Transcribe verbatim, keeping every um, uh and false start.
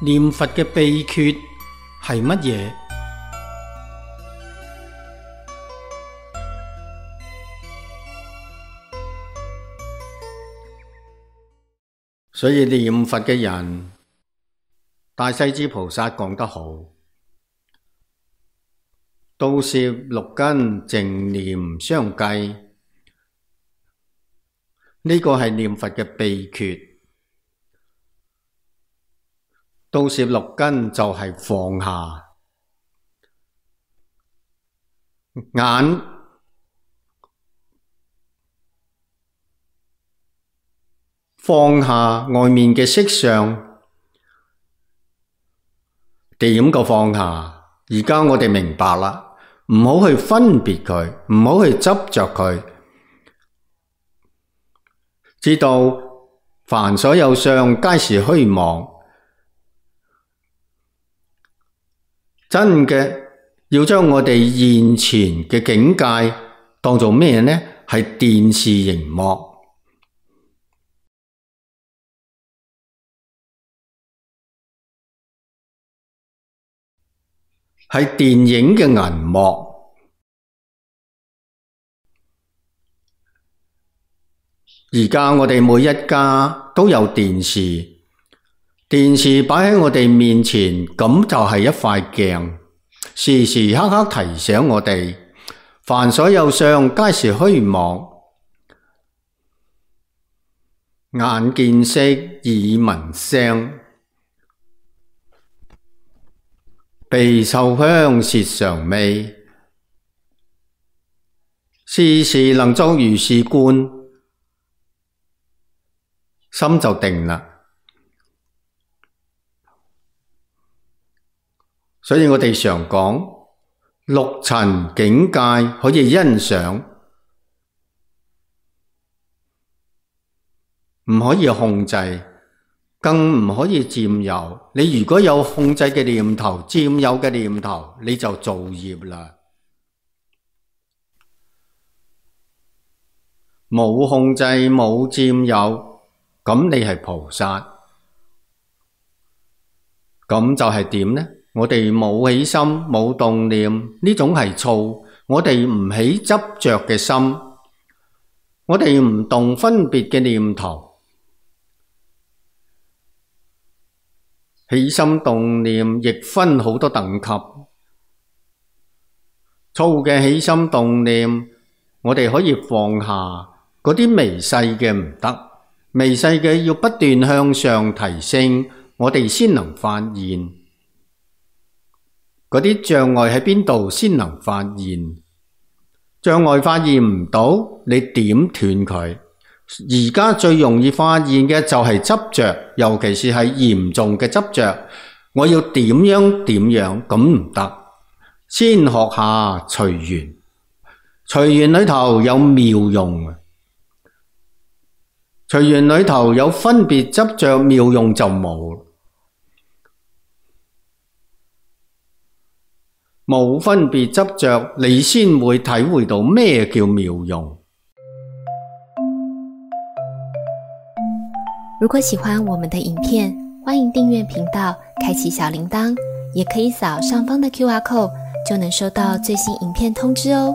念佛嘅秘訣係乜嘢？所以念佛嘅人，大勢至菩薩講得好，倒攝六根淨念相繼，呢個係念佛嘅秘訣。倒攝六根就係放下眼，放下外面嘅色相。點個放下？而家我哋明白啦，唔好去分別佢，唔好去執着佢，知道凡所有相皆是虛妄。真嘅要將我哋現前嘅境界當做咩呢？係電視熒幕，係電影嘅銀幕。而家我哋每一家都有電視，電視擺喺我哋面前，咁就係一塊鏡，時時刻刻提醒我哋，凡所有相皆是虛妄。眼見色，耳聞聲，鼻嗅香，舌嘗味，時時能作如是觀，心就定啦。所以我哋常講六塵境界可以欣賞，唔可以控制，更唔可以佔有。你如果有控制嘅念頭、佔有嘅念頭，你就造業啦。冇控制、冇佔有，咁你係菩薩。咁就係點呢？我哋冇起心，冇動念，呢種係躁。我哋唔起執着嘅心，我哋唔動分別嘅念頭。起心動念亦分好多等級。躁嘅起心動念，我哋可以放下，嗰啲微細嘅唔得，微細嘅要不斷向上提升，我哋先能發現。嗰啲障礙喺邊度先能發現？障礙發現唔到，你點斷佢？而家最容易發現嘅就係執着，尤其是係嚴重嘅執着。我要點樣點樣，咁唔得。先學下隨緣，隨緣裏頭有妙用。隨緣裏頭有分別執着，妙用就冇。冇分別執着，你先會體會到咩叫妙用。如果喜歡我們的影片，歡迎訂閱頻道，開啟小鈴鐺，也可以掃上方的 Q R code，就能收到最新影片通知哦。